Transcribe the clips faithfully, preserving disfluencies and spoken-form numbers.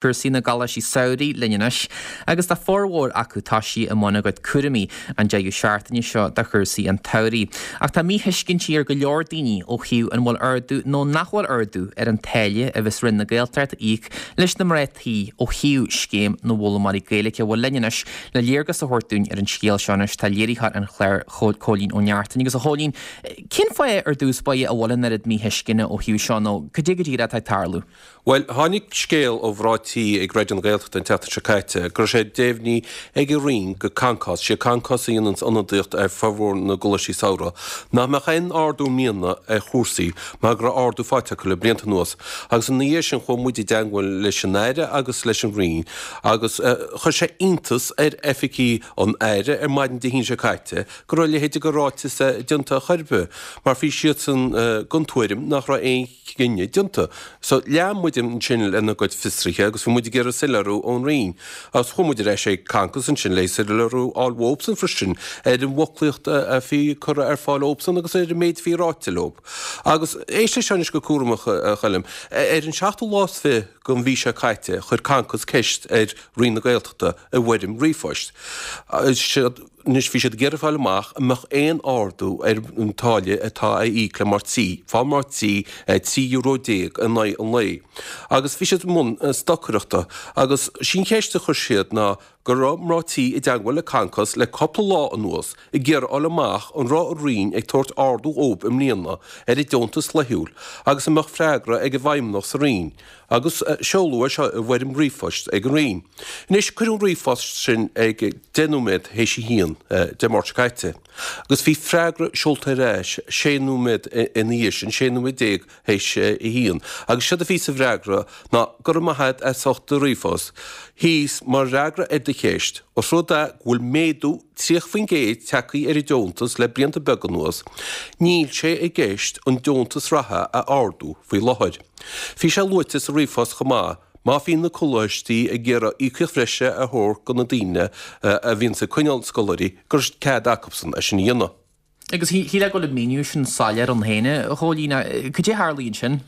Cúrsaí na gcoláistí samhraidh linn anois, agus tá formhór acu toisithe i mbun a gcuid cúraimí an deireadh seachtaine seo do chúrsaí an tsamhraidh. Ach tá míthuiscintí ar go leor daoine ó thaobh an bhfuil ardú nó nach bhfuil ardú ar an táille a bheas Roinn na Gaeltachta a íoc leis na mná tí ó thaobh scéim na bhfoghlaimeoirí Gaeilge. Bhuel linn anois le léargas a thabhairt dúinn ar an scéal seo anois tá léiritheoir an chláir Cóilín Ó Neachtain. Agus a Chóilín, cén fáth ar dtús báire a bhfuil an oiread míthuisceana ó thaobh seo nó cad é go díreach atá ag tarlú? Bhuel, tháinig scéal ó mhná tí ag Raidió na Gaeltachta an tseachtain seo caite go raibh sé deimhnithe ag an Roinn go Concos, sé Concos a dhéanann ionadaíocht ar formhór na gcoláistí samhraidh, nach mbeadh aon ardú i mbliana ar chúrsaí mar go raibh ardú faighte acu le blianta anuas. Agus ina dhiaidh sin chuaigh muid i dteagmháil leis an Aire agus leis an Roinn agus chuir sé iontas ar oifigigh an Aire ar maidin Dé hAoine seo caite go raibh a leithéid de ráiteas déanta ar chor ar bith mar bhí siadsan den tuairim nach raibh aon chinneadh déanta. So lean muid ansin lena gcuid fiosraithe agus bhí muid ag iarraidh soiléiriú ón Roinn. Agus chuaigh muid ar ais ag Concos ansin le soiléiriú a fháil uathubsan freisin ar an bhfoclaíocht a bhí curtha ar fáil dóibhsan agus ar an méid a bhí ráite leo. Agus éist leis seo anois go cúramach, a Choilm. Ar an seachtú lá is fiche den mhí seo caite chuir Concos ceist ar Roinn na Gaeltachta i bhfoirm ríomhphoist. Anois bhí siad ag iarraidh fáil amach an mbeadh aon ardú ar an táille atá á íoc le mná tí, fá mná tí trí euro déag in aghaidh an lae. Agus bhí siad i mbun stocaireachta agus sí an cheist a chuir siad ná go raibh mná tí i dteagmháil le Concos le cúpla lá anuas ag iarraidh fháil amach an raibh an Roinn ag tabhairt ardú dhóibh i mbliana ar a deontas laethúil agus an mbeadh freagra ag an bhfeidhmeannach sa Roinn. Agus seoladh é seo i bhfoirm ríomhphoist ag an Roinn. Anois, cuireadh an ríomhphost sin ag deich nóiméad théis a haon Dé Máirt seo caite, agus bhí freagra seolta ar ais sé nóiméad ina dhiaidh sin, sé nóiméad déag théis a haon, agus séard a bhí sa bhfreagra ná, Go raibh maith agat as ucht do ríomhphost. Thíos, mar fhreagra ar do cheist, os rud é go bhfuil méadú tríocha faoin gcéad tagtha ar an deontas le blianta beaga anuas, níl sé i gceist an deontas reatha a ardú faoi láthair. Bhí sé luaite sa ríomhphost chomh maith, má bhíonn na coláistí ag iarraidh íocaíocht bhreise a thabhairt do na daoine a bhíonns ag coinneáil scoláirí, go raibh cead acubsan é sin a dhéanamh. Agus shílfeá go bhfuil an míniú sin soiléir ann féin, a Chóilín, cad é a tharlaigh ansin?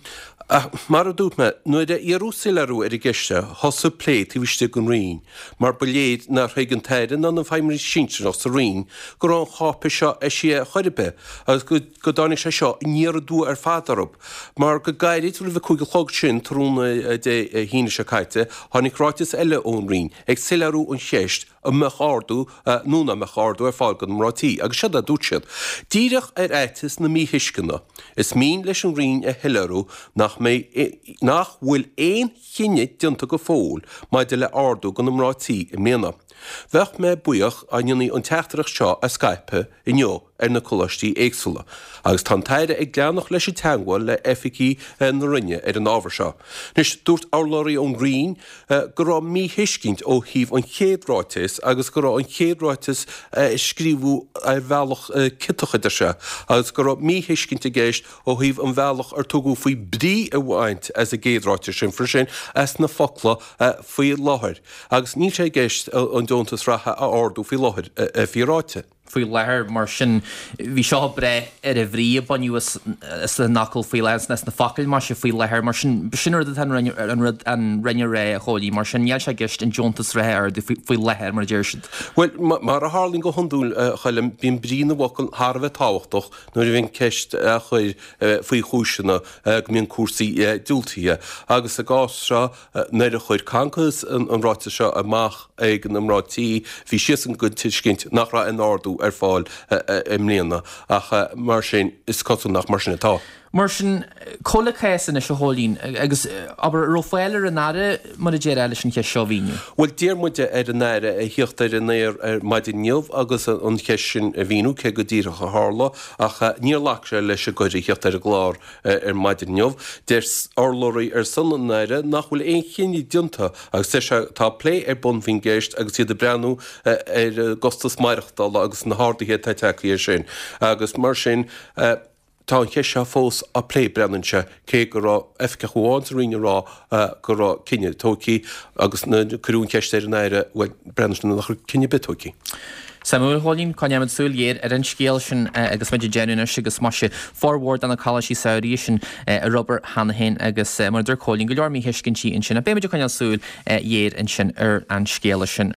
Mar a dúirt mé, nuair a iarradh soiléiriú ar an gceist seo, thosaigh plé taobh istigh den Roinn, mar ba léir nár thuig an tAire ná na feidhmeannaigh sinsearach sa Roinn go raibh an cháipéis seo eisithe ar chor ar bith agus go dtáinig sé seo aniar aduaidh ar fad orthu, mar go gairid roimh a cúig a chlog sin tráthnóna Dé hAoine seo caite, tháinig ráiteas eile ón Roinn ag soiléiriú an cheist an mbeadh ardú nó nach mbeadh ardú ar fáil do na mná tí, agus séard a dúirt siad, Díreach ar fhaitíos na míthuisceana, is mian leis an Roinn a shoiléiriú nach mbeidh, nach bhfuil aon chinneadh déanta go fóill maidir le ardú do na mná tí i mbliana. Bheadh mé buíoch dá ndéanfaí an teachtaireacht seo a scaipeadh inniu ar na coláistí éagsúla, agus tá an tAire ag leanacht leis an teagmháil le oifigigh na Roinne ar an ábhar seo. Anois, dúirt urlabhraí ón Roinn go raibh míthuiscint ó thaobh an chéad ráitis agus go raibh an chéad ráiteas scríofa ar bhealach ciotach, a deir sé, agus go raibh míthuiscint i gceist ó thaobh an bhealach ar tugadh faoi brí a bhaint as an gcéad ráiteas sin freisin, as na focla 'faoi láthair' agus níl sé i gceist an deontas reatha a ardú faoi láthair, a bhí ráite. faoi láthair. Mar sin, bhí seo ag breith ar an bhrí a baineadh as an fhocal faoi láthair, as na focail, maise, faoi láthair. Mar sin, b'shin an rud atá an rud an Roinn a rá, a Chóilín. Mar sin, níl sé i gceist an deontas reatha a ardú faoi láthair, mar a deir siad. Bhuel, mar a tharlaíonn go hiondúil, a Choilm, bíonn brí na bhfocal thar a bheith tábhachtach nuair a bhíonn ceist á chur faoi chúiseanna go mbíonn cúrsaí diúltaithe. Agus sa gcás seo, Nuair a chuir Concos an ráiteas seo amach ag na mná tí, bhí siadsan den tuiscint nach raibh aon ardú ar fáil i mbliana, ach mar sin, is cosúil nach mar sin atá. Mar sin, cá bhfuil an cás anois, a Chóilín, agus, abair, an raibh fáil ar an Aire, mar a déarfá, leis an cheist seo a mhíniú? Bhuel, d'iarr muid ar an Aire a thíocht ar an aer ar maidin inniu agus an cheist sin a mhíniú, cé go díreach a tharla, ach níor ghlac sé leis an gcuireadh a thíocht ar an gclár. Ar maidin inniu, deir urlabhraí ar son an Aire nach bhfuil aon chinneadh déanta agus deir sé tá plé ar bun faoin gceist agus iad ag breathnú ar an gcostas maireachtála agus na harduithe atá tagtha air sin agus mar sin tá an cheist seo fós á plé, breathnaíonn sé, cé go raibh oifigeach amháin sa Roinn ag rá go raibh cinneadh tógtha agus nuair a cuireadh an cheist ar an Aire, bhuel, breathnaíonn sé nach raibh cinneadh ar bith tógtha. Suimiúil, a Chóilín, coinneoimid súil ghéar ar an scéal sin agus muid ag déanamh anois agus maise formhór de na coláistí samhraidh sin ar obair cheana féin agus mar a dúirt Cóilín, go leor míthuiscintí ansin. Beimid ag coinneáil súil ghéar ansin ar an scéal sin.